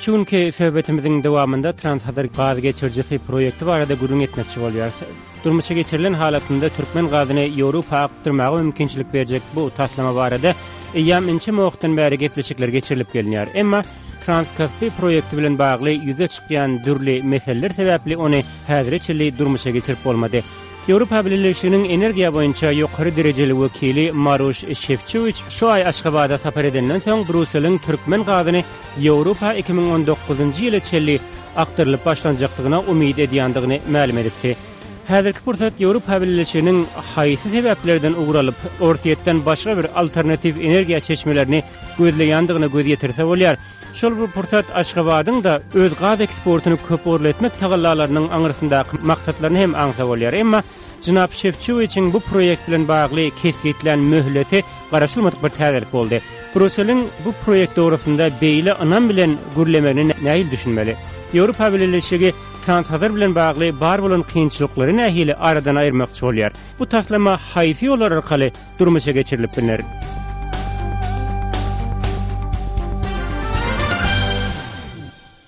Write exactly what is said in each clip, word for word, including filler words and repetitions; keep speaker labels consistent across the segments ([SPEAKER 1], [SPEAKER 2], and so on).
[SPEAKER 1] Şu günki söhbetimiziň dowamynda Transhazar gaz geçirijisi proýekti barada gürrüň etmekçi bolýarys. Durmuşa geçirilen halatynda türkmen gazyny Ýewropa akdyrmaga mümkinçilik berjek bu taslama barada eýýäm ençeme wagtdan bäri gepleşikler geçirilip gelinýär. Emma Transkaspi proýekti bilen bagly ýüze çykýan dürli meseleler sebäpli ony häzire çenli durmuşa geçirip bolmady. Ýewropa Bileleşiginiň energiýa boýunça ýokary derejeli wekili Maroş Şefçowiç şu aý Aşgabada sapar edenden soň Brýusseliň türkmen gazyny Ýewropa iki müň on dokuzynjy ýyla çenli akdyrylyp başlanjakdygyna umyt edýändigini mälim edipdi. Häzirki pursat Ýewropa Bileleşiginiň haýsy sebäplerden ugur alyp, Orsýetden başga bir alternatiw energiýa çeşmelerini gözleýändigine göz ýetirse bolýar. Şol bir pursat Aşgabadyň da öz gaz eksportyny köp ugurly etmek tagallalarynyň aňyrsyndaky maksatlaryny hem aňsa bolýar. Emma Jenap Şefçowiçiň bu proýekt bilen bagly kesgitlän möhleti garaşylmadyk bir täzelik boldy. Brýusseliň bu proýekt dogrusynda beýle ynam bilen gürlemegini nähili düşünmeli? Ýewropa Bileleşigi Transhazar bilen bagly bar bolan kynçylyklary nähili aradan aýyrmakçy bolýar? Bu taslama haýsy ýollar arkaly durmuşa geçirilip bilner?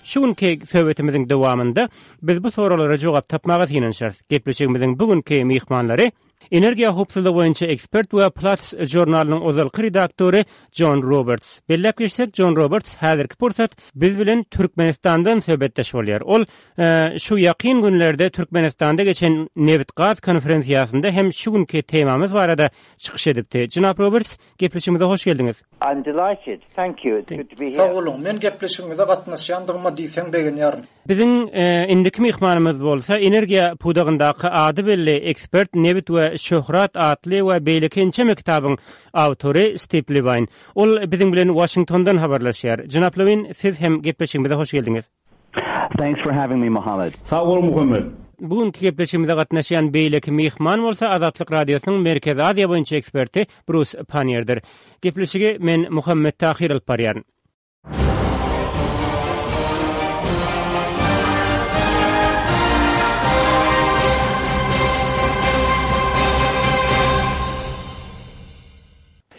[SPEAKER 1] Şu günki söhbetimiziň dowamynda biz bu sorulara jogap tapmaga synanyşarys. Gepleşigimiziň bugünkü myhmanlary energiýa howpsuzlygy boýunça ekspert we Platts žurnalynyň ozalky redaktory John Roberts. Belläp geçsek, John Roberts häzirki pursat biz bilen Türkmenistandan söhbetdeş bolýar. Ol, e, şu ýakyn günlerde Türkmenistanda geçen nebit-gaz konferensiýasynda hem şu günki temamyz barada çykyş edipdi. Jenap Roberts, gepleşigimize hoş geldiňiz.
[SPEAKER 2] I'm delighted. Thank you. It's good to be here.
[SPEAKER 3] Sag boluň. Men gepleşigimize gatnaşýandygyma diýseň begenýärin.
[SPEAKER 1] Biziň, e, indiki myhmanymyz bolsa energiýa pudagyndaky ady belli ekspert Nebit we Şöhrat atly we beýleki ençeme kitabyň awtory Steve Levine. Ol biziň bilen Washingtondan habarlaşýar. Jenap Levine, siz hem gepleşigimize hoş geldiňiz.
[SPEAKER 4] Thanks for having me, Muhammad.
[SPEAKER 5] Sag bol, Muhammed.
[SPEAKER 1] Bugünkü gepleşigimize gatnaşýan beýleki myhman bolsa Azatlyk Radiosynyň Merkezi Aziýa boýunça eksperti Bruce Panierdir. Gepleşigi men Muhammed Tahir alyp barýaryn.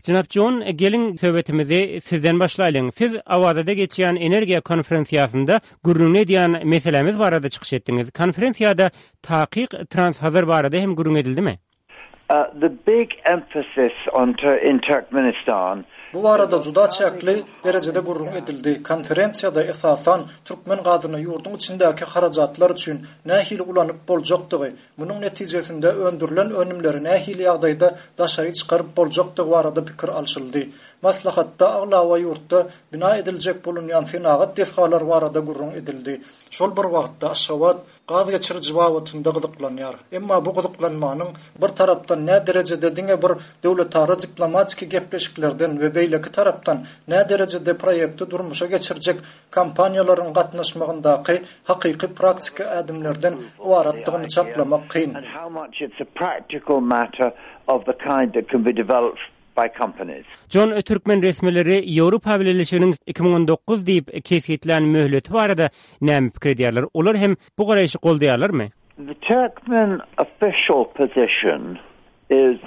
[SPEAKER 1] Jenap John, gelin söhbetimizi sizden başlaýlyň. Siz Awazada geçýän energiýa konferensiýasynda gürrüň edýän meselemiz barada çykyş etdiňiz. Konferensiýada takyk Transhazar barada hem gürrüň edildimi?
[SPEAKER 2] Uh, the big emphasis on Tur-, in Turkmenistan
[SPEAKER 3] Bu barada juda çäkli derejede gürrüň edildi. Konferensiýada esasan türkmen gazyny ýurduň içindäki harajatlar üçin nähili ulanyp boljakdygy, munuň netijesinde öndürilen önümleri nähili ýagdaýda daşary çykaryp boljakdygy barada pikir alşyldy. Maslahatda aglaba ýurtda bina ediljek bolunýan senagat desgalary barada gürrüň edildi. Şol bir wagtda Aşgabat gaz geçiriji babatynda gyzyklanýar. Emma bu gyzyklanmanyň bir tarapdan nä derejede diňe bir döwletara diplomatiki gepleşiklerden we beýleki tarapdan nä derejede proýekti durmuşa geçirjek kompaniýalaryň gatnaşmagyndaky hakyky praktiki ädimlerden ybaratdygyny çaklamak kyn.
[SPEAKER 2] And how much it's a practical matter of the kind that can be developed by companies.
[SPEAKER 1] John, türkmen resmileri Ýewropa Bileleşiginiň iki müň on dokuz diýip kesgitlän möhleti barada näme pikir edýärler? Olar hem bu garaýşy goldaýarlarmy?
[SPEAKER 2] The Turkmen official position is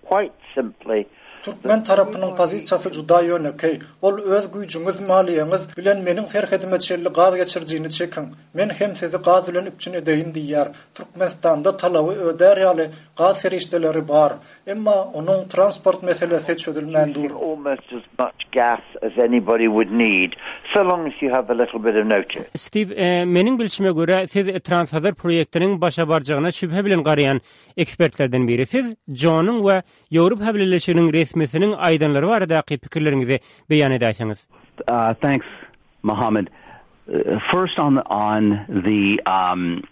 [SPEAKER 2] quite simply
[SPEAKER 3] Türkmen tarapynyň pozisiýasy juda ýönekeý. Ol öz güýjüňiz, maliýeňiz bilen meniň serhedime çenli gaz geçirijini çekiň. Men hem sizi gaz bilen üpjün edeýin diýýär. Türkmenistanda talaby ödär ýaly gaz serişdeleri bar. Emma onuň transport meselesi çözülmän dur.
[SPEAKER 2] Almost as much gas as anybody would need, so long as you have a little bit of notice.
[SPEAKER 1] Steve, e, meniň bilşime görä siz Transhazar proýektiniň başa barjagyna şübhe bilen garaýan ekspertlerden biri. Siz Johnyň we Ýewropa Bileleşiginiň resmisiniň aýdanlary baradaky pikirleriňizi beýan edäýseňiz.
[SPEAKER 4] Uh, thanks, Muhammad. Uh, first on the, on the, um,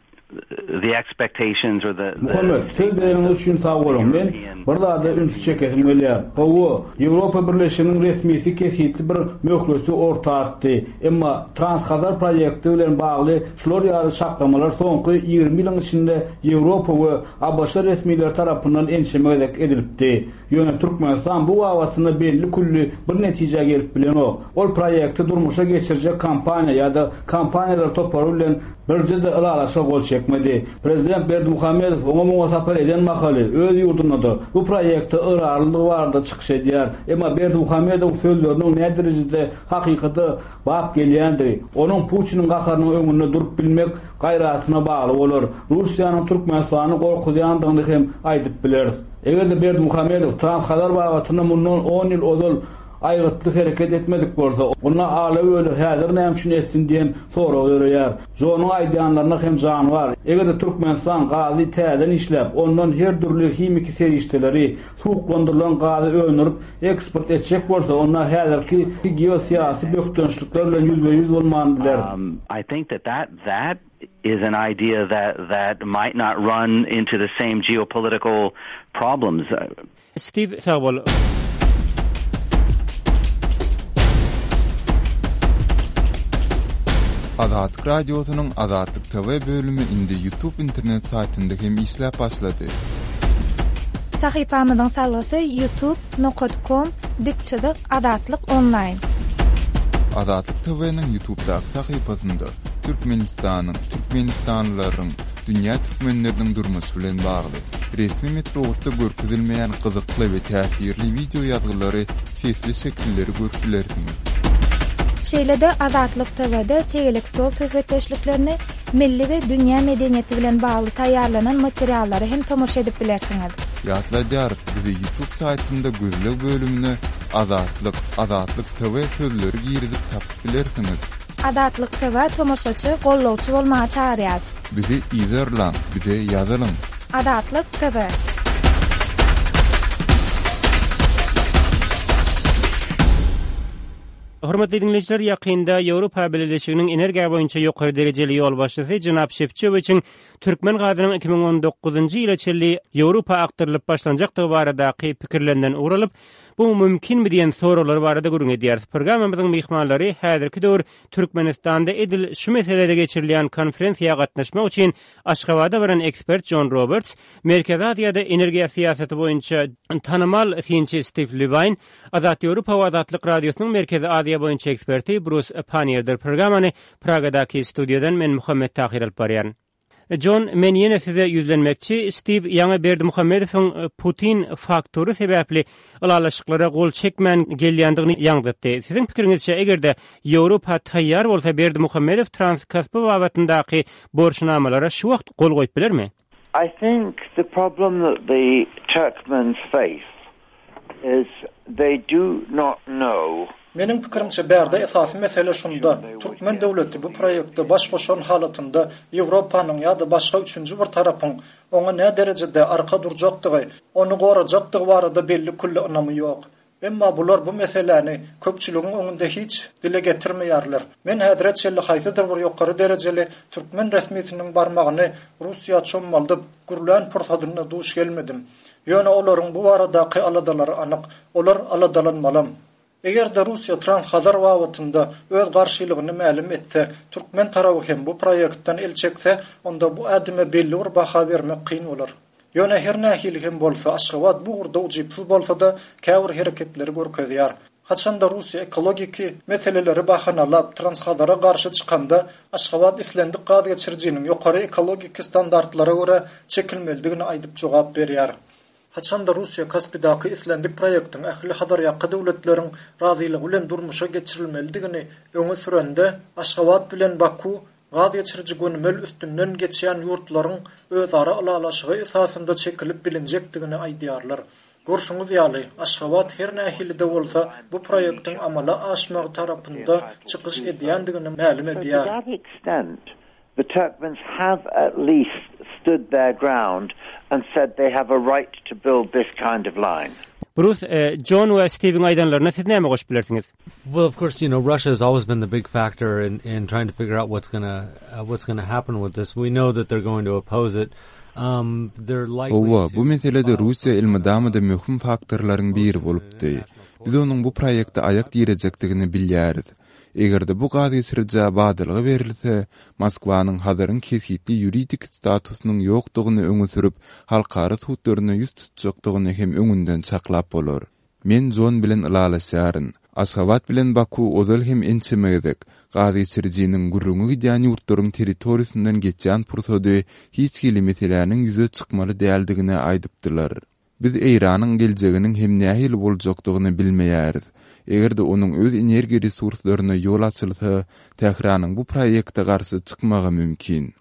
[SPEAKER 4] the expectations or the, the
[SPEAKER 5] Muhammed, söz bereniňiz üçin sag boluň. Men bir zada ünsi çekesim gelýär. Hawa, Ýewropa Birleşiginiň resmisi kesgitli bir möhleti orta atdy. Emma Transhazar proýekti bilen bagly şular ýaly çaklamalar soňky ýigrimi ýylyň içinde Ýewropa we A B Ş resmileri tarapyndan ençeme gezek edilipdi. Ýöne Türkmenistan bu babatynda belli külli bir netijä gelip bilenok. Ol proýekti durmuşa geçirjek kompaniýa ýa-da kompaniýalar topary bilen Birje-de ylalaşyga gol çekmedi. Prezident Berdimuhamedow oňa muňa sapar eden mahaly öz ýurdunda-da bu proýekte ygrarlydygy barada çykyş edýär. Emma Berdimuhamedowyň sözleriniň näderejede hakykata bap gelýändigi, onuň Putiniň gaharynyň öňünde durup bilmek gaýratyna bagly bolar. Russiýanyň Türkmenistany gorkuzýandygyny hem aýdyp bileris. Eger-de Berdimuhamedow Transhazar babatynda mundan on ýyl ozal aýgytly hereket etmedik bolsa, onda ala-böle häzir näme üçin etsin diýen sorag döreýär. Jonyň aýdýanlaryna hem jan bar. Eger-de Türkmenistan gazy täzeden işläp, ondan her dürli himiki serişdeleri, suwuklandyrylan gazy öndürip eksport etjek bolsa, onda häzirki geosyýasy bökdençlikler bilen ýüzbe-ýüz bolman biler.
[SPEAKER 4] Um, I think that that, that is an idea that, that might not run into the same geopolitical problems.
[SPEAKER 1] Steve, sag bol.
[SPEAKER 6] Azatlyk Radiosynyň Azatlyk T V bölümi indi YouTube internet saýtynda hem işläp başlady.
[SPEAKER 7] Sahypamyzyň salgysy youtube nokta com dik çyzyk Azatlyk online.
[SPEAKER 6] Azatlyk T V-niň YouTube'daky sahypasynda Türkmenistanyň, Türkmenistanlylaryň, dünýä türkmenleriniň durmuşy bilen bagly resmi metbugatda görkezilmeýän gyzykly we täsirli wideo ýazgylary, sesli şekilleri görüp bilersiňiz.
[SPEAKER 7] Şeýle-de Azatlyk T V-de tegelek stol söhbetdeşliklerini, milli we dünýä medeniýeti bilen bagly taýýarlanan materiallary hem tomaşa edip bilersiňiz.
[SPEAKER 6] Ýatladýarys, bizi YouTube saýtynda gözleg bölümine Azatlyk, Azatlyk T V sözleri girizip tapyp bilersiňiz.
[SPEAKER 7] Azatlyk T V tomaşaçy, gollawçy bolmaga çagyrýar.
[SPEAKER 6] Bizi yzarlaň, bize ýazylyň.
[SPEAKER 7] Azatlyk T V.
[SPEAKER 1] Hormatly dinleýjiler, ýakynda Ýewropa Bileleşiginiň energiýa boýunça ýokary derejeli ýolbaşçysy Jenap Şefçowiçiň türkmen gazynyň iki müň on dokuzynjy ýyla çenli Ýewropa akdyrylyp başlanjakdygy baradaky pikirlerinden ugur alyp, bu mümkinmi diýen soraglar barada gürrüň edýäris. Programmamyzyň myhmanlary häzirki döwür Türkmenistanda edil şu meselede geçirilýän konferensiýa gatnaşmak üçin Aşgabada baran ekspert John Roberts, Merkezi Aziýada energiýa syýasaty boýunça tanymal synçy Steve Levine, Azat Ýewropa we Azatlyk Radiosynyň Merkezi Aziýa boýunça eksperti Bruce Panniýerdir. Programmany Pragadaky studiýadan men Muhammet Tahir alyp barýan. John, men ýene size ýüzlenmekçi. Steve ýaňy Berdimuhamedowyň e, Putin faktory sebäpli ylalaşyklara gol çekmän gelýändigini ýaňzytdy. Siziň pikiriňizçe, eger-de Ýewropa taýýar bolsa, Berdimuhamedow Transkaspi babatyndaky borçnamalara şu wagt gol goýup bilermi?
[SPEAKER 2] I think the problem that the Turkmens face is they do not know
[SPEAKER 3] Meniň pikirimçe bärde esasy mesele şunda: türkmen döwleti bu proýekte baş goşan halatynda Ýewropanyň ýa-da başga üçünji bir tarapyň oňa nä derejede arka durjakdygy, ony gorajakdygy barada belli külli ynamy ýok. Emma bular bu meseläni köpçüligiň öňünde hiç dile getirmeýärler. Men häzire çenli haýsydyr bir ýokary derejeli türkmen resmisiniň barmagyny Russiýa çommaldyp gürlän pursadynda duş gelmedim. Ýöne olaryň bu baradaky aladalary anyk, olar aladalanmalam. Eger-de Russiýa Transhazar babatynda öz garşylygyny mälim etse, türkmen tarapy hem bu proýektden el çekse, onda bu ädime belli bir baha bermek kyn bolar. Ýöne her nähili hem bolsa Aşgabat bu ugurda ujypsyz bolsa-da käbir hereketleri görkezýär. Haçanda Russiýa ekologiki meseleleri bahanalap Transhazara garşy çykanda, Aşgabat islendik gaz geçirijiniň ýokary ekologiki standartlara görä çekilmelidigini aýdyp jogap berýär. Haçanda Russiýa Kaspidaky islendik proýektiň ähli Hazarýaka döwletleriň razylygy bilen durmuşa geçirilmelidigini öňe sürende, Aşgabat bilen Baku gaz geçiriji gönümel üstünden geçýän ýurtlaryň özara ylalaşygy esasynda çekilip bilinjekdigini aýdýarlar. Görşüňiz ýaly, Aşgabat her nähili-de bolsa bu proýektiň amala aşmagy tarapynda çykyş edýändigini mälim
[SPEAKER 2] So to
[SPEAKER 3] edýär.
[SPEAKER 2] that extent, the Turkmens have at least stood their ground and said they have a right to build this kind of line.
[SPEAKER 1] Bruce, e, John we Steve'iň aýdanlaryna siz näme goşup bilersiňiz?
[SPEAKER 8] Well, of course, you know, Russia has always been the big factor in, in trying to figure out what's gonna uh, what's gonna happen with this. We know that they're going to oppose it. Um, they're likely
[SPEAKER 6] Hawa,
[SPEAKER 8] to
[SPEAKER 6] bu meselede Russiýa elmydama-da möhüm faktorlaryň biri bolupdy. Biz onuň bu proýekte aýak direjekdigini bilýäris. Eger-de bu gaz geçirijä badalga berilse, Moskwanyň Hazaryň kesgitli ýuridik statusynyň ýokdugyny öňe sürüp, halkara sudlaryna ýüz tutjakdygyny hem öňünden çaklap bolar. Men John bilen ylalaşýaryn. Aşgabat bilen Baku ozal hem ençeme gezek gazgeçirijiniň gürrüňi gidýän ýurtlaryň territoriýasyndan geçýän pursady hiç hili meseläniň ýüze çykmaly däldigini aýdypdylar. Biz Eýranyň geljeginiň hem nähili boljakdygyny bilmeýäris. Eger-de onuň öz energiýa resurslaryna ýol açylsa, Tähranyň bu proýekte garşy çykmagy mümkin.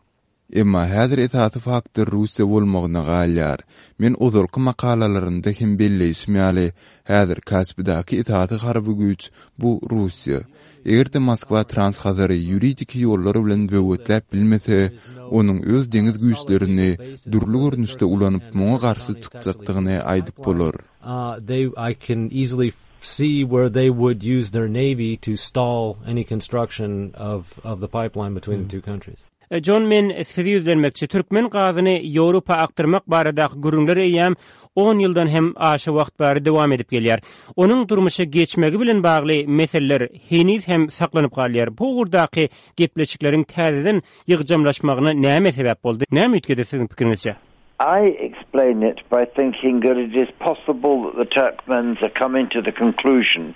[SPEAKER 6] Emma häzir esasy faktor Russiýa bolmagyna galýar. Men ozalky makalalarymda hem belleýşim ýaly, häzir Kaspidäki esasy harby güýç bu Russiýa. Eger-de Moskwa Transhazary ýuridiki ýollar bilen böwetläp bilmese, onuň öz deňiz güýçlerini dürli görnüşde ulanyp muňa garşy çykjakdygyny aýdyp bolar.
[SPEAKER 8] Uh, they, I can easily see where they would use their navy to stall any construction of, of the pipeline between the two countries.
[SPEAKER 1] John men size ýüzlenmekçi türkmen gazyny Ýewropa akdyrmak baradaky gürrüňler eýýäm on ýyldan hem aşa wagt bäri dowam edip gelýär. Onuň durmuşa geçmegi bilen bagly meseleler heniz hem saklanyp galýar. Bu ugurdaky gepleşikleriň täzeden ýygjamlaşmagyna näme sebäp boldy? Näme üýtgedi siziň pikiriňizçe?
[SPEAKER 2] I explain it by thinking that it is possible that the Turkmens are coming to the conclusion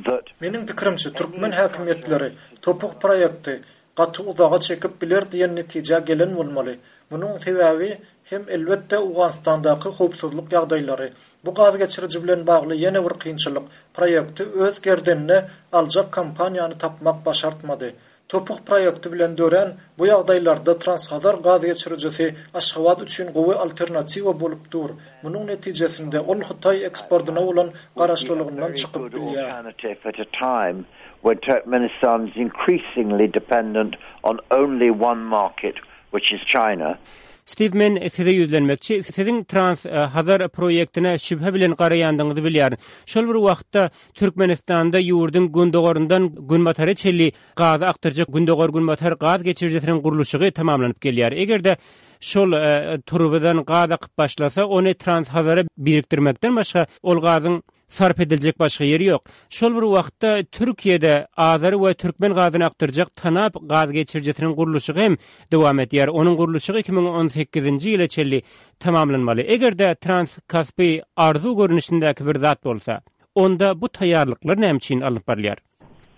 [SPEAKER 2] that
[SPEAKER 3] Meniň pikirimçe türkmen häkimiýetleri TOPH proýekti gaty uzaga çekip biler diýen netijä gelen bolmaly. Munuň sebäbi hem elbetde Owganystandaky howpsuzlyk ýagdaýlary. Bu gaz geçiriji bilen bagly ýene bir kynçylyk. Proýekti öz gerdenine aljak kompaniýany tapmak başartmady. TOPH proýekti bilen dörän bu ýagdaýlarda Transhazar gaz geçirijisi Aşgabat üçin gowy alternatiwa bolup dur. Munuň netijesinde ol Hytaý eksportyna bolan garaşlylygyndan çykyp bilýär.
[SPEAKER 2] alternative at a time when Turkmenistan is increasingly dependent on only one market, which is China.
[SPEAKER 1] Steve men size ýüzlenmekçi. Siziň Trans Hazar proýektine şübhe bilen garaýandygyňyzy bilýärin. Şol bir wagtda Türkmenistanda ýurduň gündogaryndan günbatara çenli gaz akdyrjak gündogar günbatar gaz geçirijisiniň gurluşygy tamamlanyp gelýär. Eger-de şol e, turbadan gaz akyp başlasa, ony Trans Hazara birikdirmekden başga ol gazyň sarp ediljek başga ýeri ýok. Şol bir wagtda Türkiýede Azeri we türkmen gazyny akdyrjak Tanap gaz geçirijisiniň gurluşygy hem dowam edýär. Onuň gurluşygy iki müň on sekizinji ýyla çenli tamamlanmaly. Eger-de Trans Kaspi arzuw görnüşindäki bir zat bolsa, onda bu taýýarlyklar näme üçin alnyp barylýar?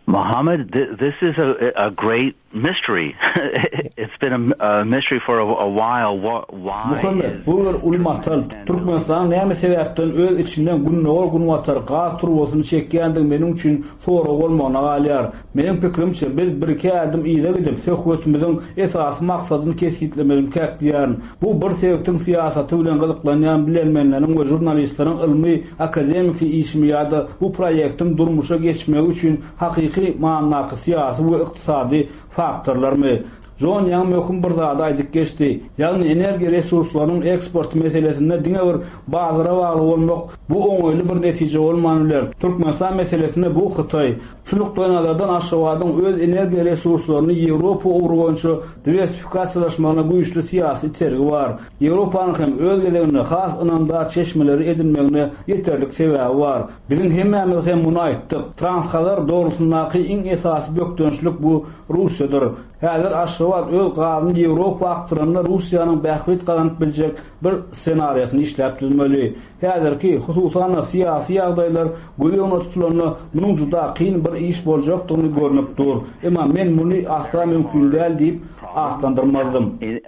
[SPEAKER 4] Muhammad, th- this is a, a great mystery. It's been a, a mystery for a, a while. What, why
[SPEAKER 5] Muhammed,
[SPEAKER 4] is
[SPEAKER 5] bu bir uly matal. Türkmenistan näme sebäpden öz içinden gündogar günbatar gaz turbasyny çekýändigi meniň üçin sorag bolmagyna galýar. Meniň pikirimçe biz bir iki ädim yza gidip söhbetimiziň esasy maksadyny kesgitlemelikäk diýýärin. Bu bir sebitiň syýasaty bilen gyzyklanýan bilermenleriň we žurnalistleriň ylmy akademiki işimi ýa-da bu proýektiň durmuşa geçmegi üçin hakyky manydaky syýasy we ykdysady faktorlarmy? John ýaňy möhüm bir zady aýdyp geçdi. Ýagny energiýa resurslarynyň eksport meselesinde diňe bir bazara bagly bolmak bu oňaýly bir netije bolman biler. Türkmenistan meselesinde bu Hytaý. Şu nukdaý nazardan Aşgabadyň öz energiýa resurslaryny Ýewropa ugry boýunça diwersifikasiýalaşmagyna güýçli syýasy itergi bar. Ýewropanyň hem öz gezeginde has ynamdar çeşmeleri edinmegine ýeterlik sebäbi bar. Biziň hemmämiz hem muny aýtdyk. Transhazar dogrusyndaky iň esasy bökdençlik bu Russiýadyr. Häzir Aşgabat öz gazyny Ýewropa akdyranda Russiýanyň bähbit gazanyp biljek bir ssenariýasyny işläp düzmeli. Häzirki hususan syýasy ýagdaýlar göz öňünde tutulanda munuň juda kyn bir iş boljakdygyny görnüp dur. Emma men muny asla mümkin däl diýip atlandyrmazdym.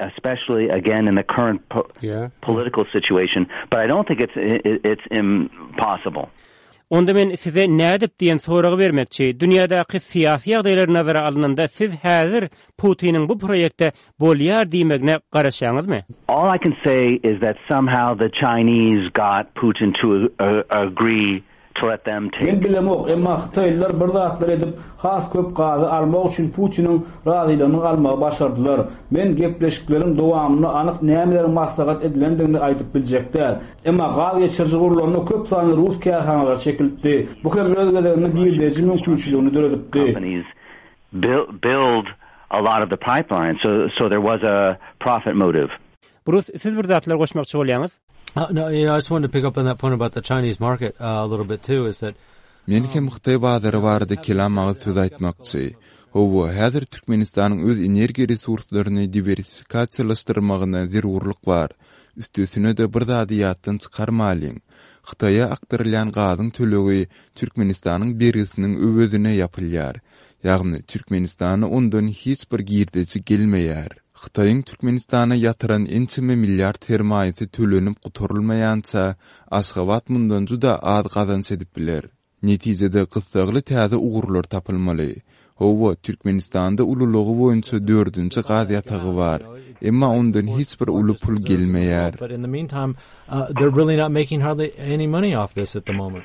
[SPEAKER 4] Especially again in the current po-
[SPEAKER 1] Yeah.
[SPEAKER 4] political situation, but I don't think it's it's impossible.
[SPEAKER 1] Onda men size nädip diýen soragy bermekçi. Dünýädäki syýasy ýagdaýlar nazara alynanda siz häzir Putiniň bu proýekte bolýar diýmegine garaşýaňyzmy?
[SPEAKER 4] All I can say is that somehow the Chinese got Putin to uh, agree to let them take.
[SPEAKER 5] Men bilemok, emma Hytaýlylar bir zatlar edip has köp gazy almak üçin Putiniň razylygyny almagy başardylar. Men gepleşikleriň dowamynda anyk nämeleriň maslahat edilendigini aýdyp biljek däl. Emma gaz geçiriji gurlanda köp sanly rus kärhanalary çekildi. Bu hem öz gezeginde girdeji mümkinçiligini döredipdi.
[SPEAKER 4] Companies build, build a lot of the pipeline, so so there was a profit motive.
[SPEAKER 1] Bruce, siz bir zatlar goşmakçy bolýaňyz?
[SPEAKER 8] Uh, no, you know, I just wanted to pick up on that point about the Chinese market, uh, a little bit too, is that
[SPEAKER 6] Men hem Hytaý bazary barada kelam agyz söz aýtmakçy. Hawa, häzir Türkmenistanyň öz energiýa resurslaryny diwersifikasiýalaşdyrmagyna zerurlyk bar. Üstesine-de bir zady ýatdan çykarmalyň. Hytaýa akdyrylýan gazyň tölegi Türkmenistanyň bergisiniň öwezine ýapylýar. Ýagny Türkmenistana ondan hiç bir girdeji gelmeýär. Hytaýyň Türkmenistana ýatyran ençeme milliard sermaýasy tölenip gutarylmaýança Aşgabat mundan juda az gazanç edip biler. Netijede gyssagly täze ugurlar tapylmaly. Hawa, Türkmenistanda ululygy boýunça dördünji gaz ýatagy bar. Emma ondan hiç bir uly pul gelmeýär.
[SPEAKER 8] But in the meantime, uh, they're really not making hardly any money off this at the moment.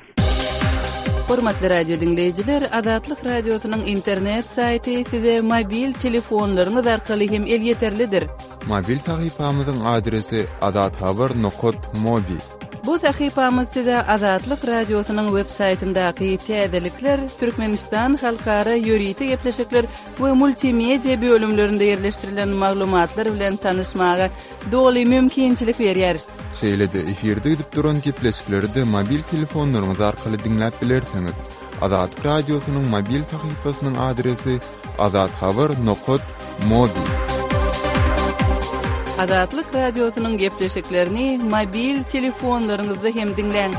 [SPEAKER 9] Hormatly radio diňleýjiler, Azatlyk radiosynyň internet saýty size mobil telefonlaryňyz arkaly hem elýeterlidir.
[SPEAKER 6] Mobil sahypamyzyň adresi azathabar.mobi.
[SPEAKER 9] Bu sahypamyz size Azatlyk radiosynyň web saýtyndaky täzelikler, Türkmenistan halkara ýörite gepleşikler we multimedia bölümlerinde ýerleşdirilen maglumatlar bilen tanyşmaga doly mümkinçilik berýär.
[SPEAKER 6] Şeýle-de efirde gidip duran gepleşikleri-de mobil telefonlaryňyz arkaly diňläp bilersiňiz. Azatlyk radiosynyň mobil sahypasynyň adresi azathabar.mobi.
[SPEAKER 9] Azatlyk radiosynyň gepleşiklerini mobil telefonlaryňyzda hem diňläň.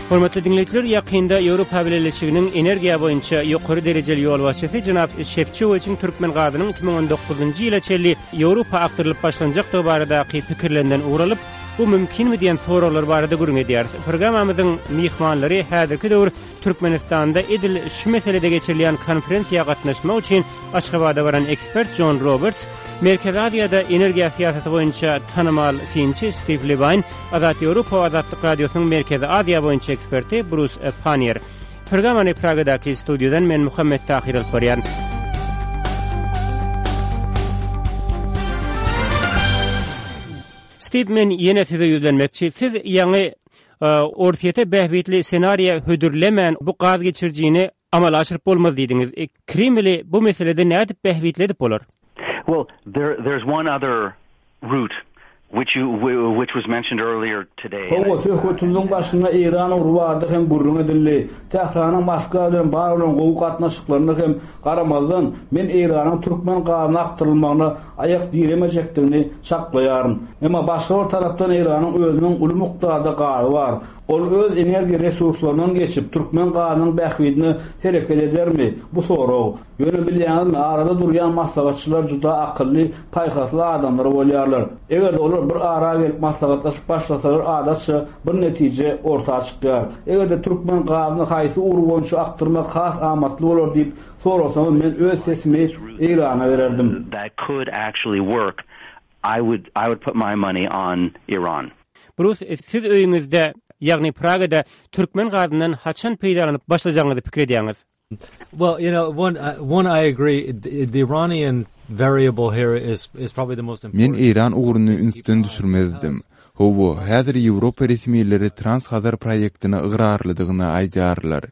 [SPEAKER 1] Hormatly diňleýjiler, ýakynda Ýewropa Bileleşiginiň energiýa boýunça ýokary derejeli ýolbaşçysy jenap Şefçowiçiň türkmen gazynyň iki müň on dokuzynjy ýyla çenli Ýewropa akdyrylyp başlanjakdygy baradaky pikirlerinden ugralyp, bu mümkinmi diýen soraglar barada gürrüň edýäris. Programmamyzyň myhmanlary häzirki döwür Türkmenistanda edil şu meselede geçirilýän konferensiýa gatnaşmak üçin Aşgabada baran ekspert John Roberts, Merkezi Aziýada energiýa syýasaty boýunça tanymal synçy Steve Levine, Azat Ýewropa Azatlyk Radiosynyň Merkezi Aziýa boýunça eksperti Bruce Pannier. Programmany Pragadaky studiýadan men Muhammet Tahir alyp barýan. Steve, men ýene size ýüzlenmekçi. Siz ýaňy, e, Orsýete bähbitli senariýa hödürlemän bu gaz geçirijini amala aşyryp bolmaz diýdiňiz. E, Kremli bu meselede nädip bähbitli edip bolar?
[SPEAKER 4] Well, there, there's one other route which you, which was mentioned earlier today.
[SPEAKER 5] Hawa, söhbetimiziň başynda Eýran ugry barada hem gürrüň edildi. Tähranyň Moskwa bilen bar bolan gowy gatnaşyklaryna hem garamazdan, men Eýranyň türkmen gazyny akdyrylmagyna aýak diremejekdigini çaklaýaryn. Emma başga bir tarapdan Eýranyň özüniň uly mukdarda gazy bar. Ol öz energiýa resurslaryndan geçip türkmen gazynyň bähbidine hereket edermi? Bu sorag. Ýöne bilýäňizmi, arada durýan maslahatçylar juda akylly, paýhasly adamlar bolýarlar. Eger olar bir ara gelip maslahatlaşyp başlasalar, adatça bir netije orta çykýar. Eger-de türkmen gazyny haýsy ugur boýunça akdyrmak has amatly bolar diýip sorasaňyz, men öz sesimi Eýrana bererdim.
[SPEAKER 4] That could actually work. I would, I would put my money on Iran.
[SPEAKER 1] Bruce, siz öýüňizde, ýagny Pragada türkmen gazyndan haçan peýdalanyp başlajagyňyzy pikir edýäňiz?
[SPEAKER 8] Well, you know, one, uh, one I agree, the, the Iranian variable here is, is probably the most important.
[SPEAKER 6] Men Eýran ugruny ünsden düşürmezdim. Hawa, häzir Ýewropa resmileri Trans-Hazar proýektine ygrarlydygyny aýdýarlar.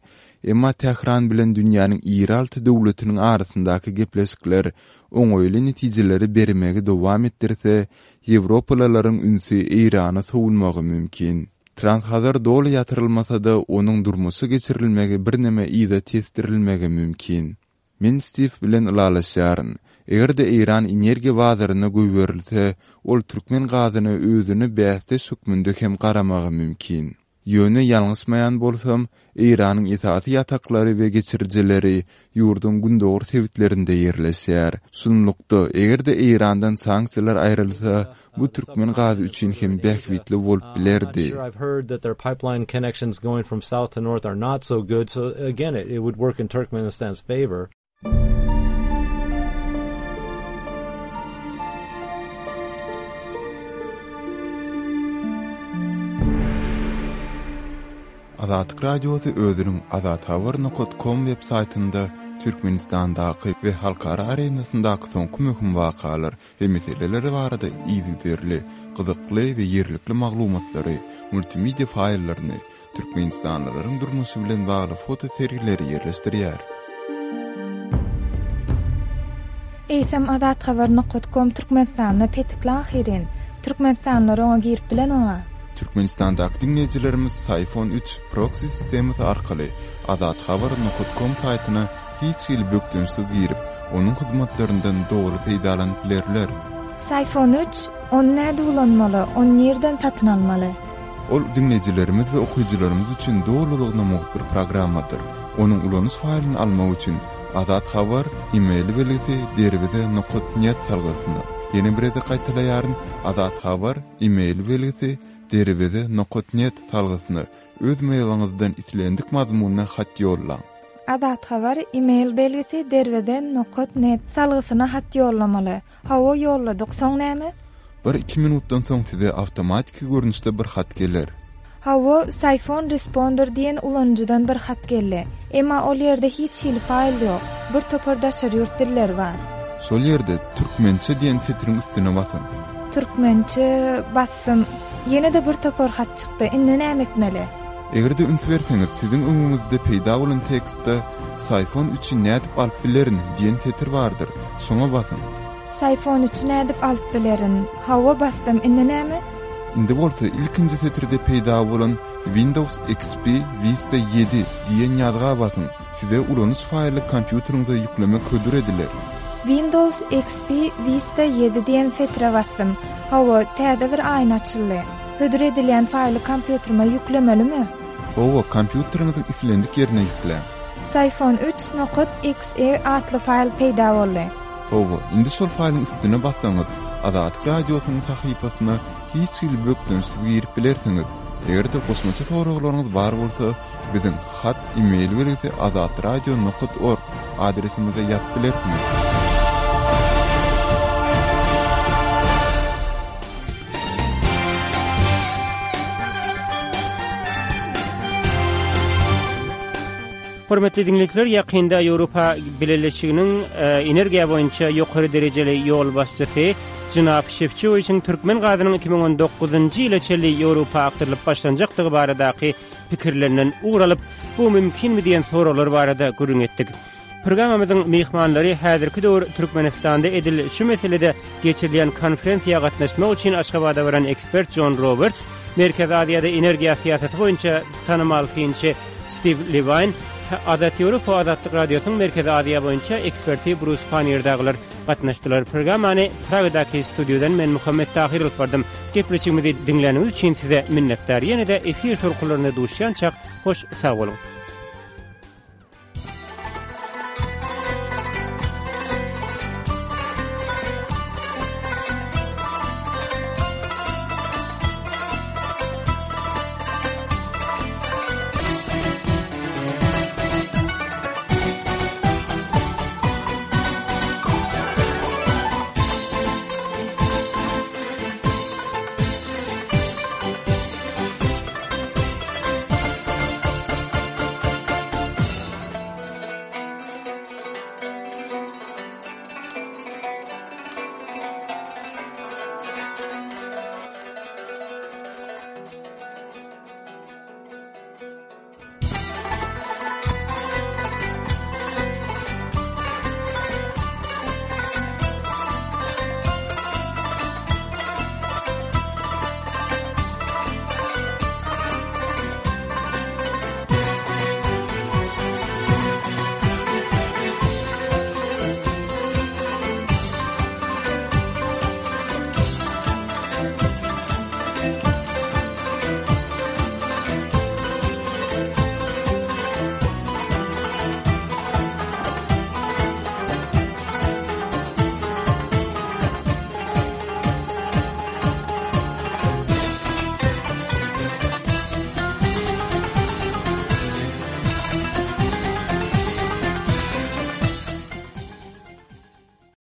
[SPEAKER 6] Emma Tähran bilen dünýäniň iri alty döwletiniň arasyndaky gepleşikler oňaýly netijeleri bermegi dowam etdirse, Ýewropalylaryň ünsi Eýrana sowulmagy mümkin. Trans-Hazar doly ýatyrylmasa-da, onuň durmuşa geçirilmegi birneme yza tesdirilmegi mümkin. Men Steve bilen ylalaşýaryn. Eger-de Eýran energiýa bazaryna goýberilse, ol türkmen gazyna özüne bäsdeş hökmünde hem garamagy mümkin. Ýöne ýalňyşmaýan bolsam, Eýranyň esasy ýataklary we geçirijileri ýurduň gündogar sebitlerinde ýerleşýär. Şunlukda, eger-de Eýrandan sanksiýalar aýrylsa, bu türkmen gazy üçin hem bähbitli bolup bilerdi.
[SPEAKER 8] I've heard that their pipeline connections going from south to north are not so good, so again it, it would work in Turkmenistan's favor.
[SPEAKER 6] Azatlyk Radiosy özüniň azathabar nokta com web saýtynda Türkmenistandaky we halkara arenasyndaky soňky möhüm wakalar we meseleler barada yzygiderli, gyzykly we ýerlikli maglumatlary, multimedia faýllaryny, Türkmenistanlylaryň durmuşy bilen bagly foto sergileri ýerleşdirýär.
[SPEAKER 7] Eýsem azathabar nokta com Türkmenistanda petikli ahyrin. Türkmenistanlylar oňa girip bilen oňa.
[SPEAKER 6] Türkmenistandaky diňleýjilerimiz Psiphon üç proksi sistemasy arkaly azathabar nokat com saýtyna hiç hili bökdençsiz girip, onuň hyzmatlaryndan doly peýdalanyp bilerler.
[SPEAKER 7] Psiphon üç, ony näde ulanmaly, ony nirden satyn almaly?
[SPEAKER 6] Ol diňleýjilerimiz we okyjylarymyz üçin dolulygyna mugt bir programmadyr. Onuň ulanyş faýlyny almak üçin Azat Habar e-mail belgisi derweze nokat net salgysyna. Ýene bir gezek gaýtalaýaryn, Azat Habar e-mail belgisi derweze nokat net salgysyna öz mailiňizden islendik mazmunda hat ýollaň.
[SPEAKER 7] Azat Habar e-mail belgisi derweze nokat net salgysyna hat ýollamaly. Hawa ýolladyk, soň näme?
[SPEAKER 6] Bir iki minutdan soň size awtomatiki görnüşde bir hat geler.
[SPEAKER 7] Hawa, Psiphon Responder diýen ulanyjydan bir hat geldi. Emma ol ýerde hiç hili faýl ýok. Bir topar daşary ýurt dilleri bar.
[SPEAKER 6] Şol ýerde türkmençe diýen setiriň üstüne basyň.
[SPEAKER 7] Türkmençe bassym. Ýene-de bir topar hat çykdy. Indi näme etmeli?
[SPEAKER 6] Eger-de üns berseňiz, siziň öňüňizde peýda bolan tekstde Psiphon üçi nädip alyp bilerin diýen setir bardyr. Şoňa basyň.
[SPEAKER 7] Psiphon üçi nädip alyp bilerin? Hawa basdym. Indi näme?
[SPEAKER 6] Indi bolsa ilkinji setirde peýda bolan Windows X P Vista ýedi diýen ýazga basyň. Size ulanyş faýly kompýuteriňize ýüklemek hödür ediler.
[SPEAKER 7] Windows X P Vista ýedi diýen setire basdym. Hawa, täze bir aýna açyldy. Hödür edilýän faýly kompýuterime ýüklemelimi?
[SPEAKER 6] Hawa, kompýuteriňiziň islendik ýerine ýükläň.
[SPEAKER 7] Psiphon üç nokat X E atly faýl peýda boldy.
[SPEAKER 6] Hawa, indi şol faýlyň üstüne bassaňyz, Azatlyk Radiosynyň sahypasyna hiç hili bökdençsiz girip bilersiňiz. Eger-de goşmaça soraglaryňyz bar bolsa, biziň hat e-mail belgisi azatradio nokat org adresimize ýazyp bilersiňiz.
[SPEAKER 1] Hormatly dinleýjiler, ýakynda Ýewropa Bileleşiginiň, e, energiýa boýunça ýokary derejeli ýolbaşçysy Jenap Şefçowiçiň türkmen gazynyň iki müň on dokuzynjy ýyla çenli Ýewropa akdyrylyp başlanjakdygy baradaky pikirlerinden ugur alyp, bu mümkinmi diýen soraglar barada gürrüň etdik. Programmamyzyň myhmanlary häzirki döwür Türkmenistanda edil şu meselede geçirilýän konferensiýa gatnaşmak üçin Aşgabada baran ekspert John Roberts, Merkezi Aziýada energiýa syýasaty boýunça tanymal synçy Steve Levine, Azat Ýewropa Azatlyk Radiosynyň Merkezi Aziýa boýunça eksperti Bruce Pannier dagylar gatnaşdylar. Programmany Pragadaky studiýadan men Muhammet Tahir alyp bardym. Gepleşigimizi diňläniňiz üçin size minnetdar. Ýene-de efir tolkunlarynda duşýançak hoş sag boluň.